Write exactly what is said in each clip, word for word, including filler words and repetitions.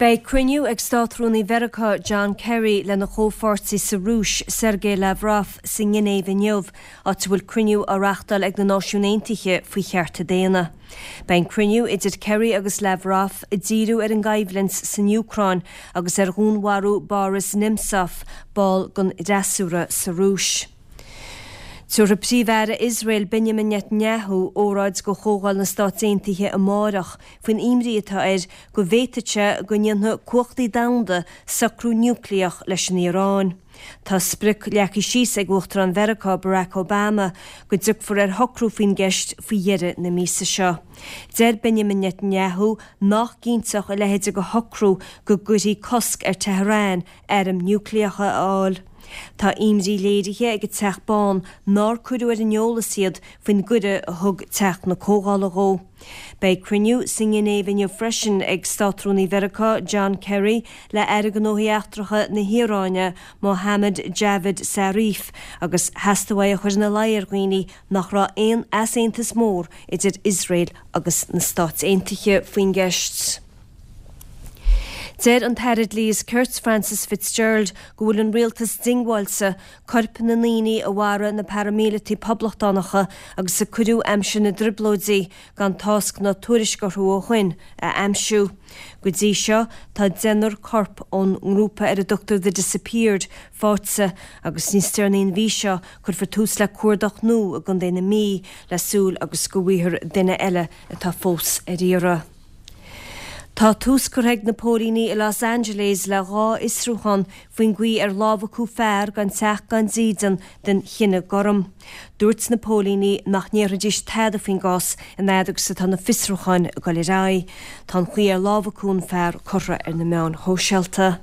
Beidh cruinniú ag Státrúnaí Mheiriceá John Kerry lena chomhpháirtí sa Rúis Sergei Lavrov sa nGinéiv inniu, áit a bhfuil cruinniú á reáchtáil ag na Náisiúin Aontaithe faoi chearta daonna. Beidh an cruinniú idir Kerry agus Lavrov ag díriú ar an gcoimhlint san Úcráin agus ar dhúnmharú Boris Nemtsov, ball den fhreasúra sa Rúis. Tabharfaidh Príomh-Aire Iosrael Benjamin Netanyahu óráid do Chomhdháil na Stát Aontaithe amárach faoin imní atá air go bhféadfadh sé go ndéanfadh cumhachtaí domhanda socrú núicléach leis an Iaráin. Tá sprioc leagtha síos ag Uachtarán Mheiriceá Barack Obama go dtiocfar ar shocrú faoin gceist faoi dheireadh na míosa seo. Deir Benjamin Netanyahu nach gcinnteodh a leithéid de shocrú go gcuirfí cosc ar Tehran airm núicléacha a fháil. Tá imní léirithe ag an Teach Bán nár cuireadh ar an eolas iad faoin gcuireadh a thug Teach na Comhdhála dhó. Beidh cruinniú sa nGinéiv inniu freisin ag Státrúnaí Mheiriceá John Kerry le Aire Gnóthaí Eachtracha na hIaráine Mohammad Javad Zarif agus theastaigh uaidh a chur ina luí ar dhaoine nach raibh aon easaontas mór idir Iosrael agus na Stáit Aontaithe faoin gceist. Deir an tAire Dlí is Cirt Frances Fitzgerald go bhfuil an rialtas diongbháilte coirp na ndaoine a mharaigh na paraimíleataigh poblachtánacha agus a cuireadh aimsir na dTrioblóidí gan tásc ná tuairisc orthu ó shin a aimsiú. Go dtí seo tá deichniúr corp ón ngrúpa ar a dtugtar The Disappeared faighte agus níos deireanaí an mhí seo cuirfear tús le cuardach nua i gContae na Mí le súil agus go bhfaighfear duine eile atá fós ar iarraidh. Tá tús curtha ag na póilíní i Los Angeles le dhá fhiosrúchán faoin gcaoi ar lámhachadh fear gan teach gan dídean den chine gorm. Dúirt na póilíní nach ndéarfaidís tada faoin gcás an fhad agus atá na fiosrúcháin ag dul ar aghaidh. Tá an chaoi ar lámhachadh an fear curtha ar na meáin shóisialta.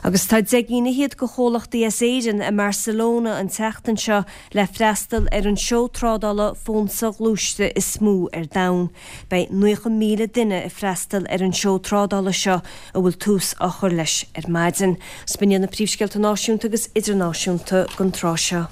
Agus tá deich gcinn fhichead de chomhlachtaí as Éirinn i mBarcelona an tseachtain seo le freastal ar an seó trádála fón soghluaiste is mó ar domhan. Beidh naocha míle duine ag freastal ar an seó trádála seo a bhfuil tús á chur leis ar maidin. B'in iad na príomhscéalta náisiúnta agus idirnáisiúnta don tráth seo.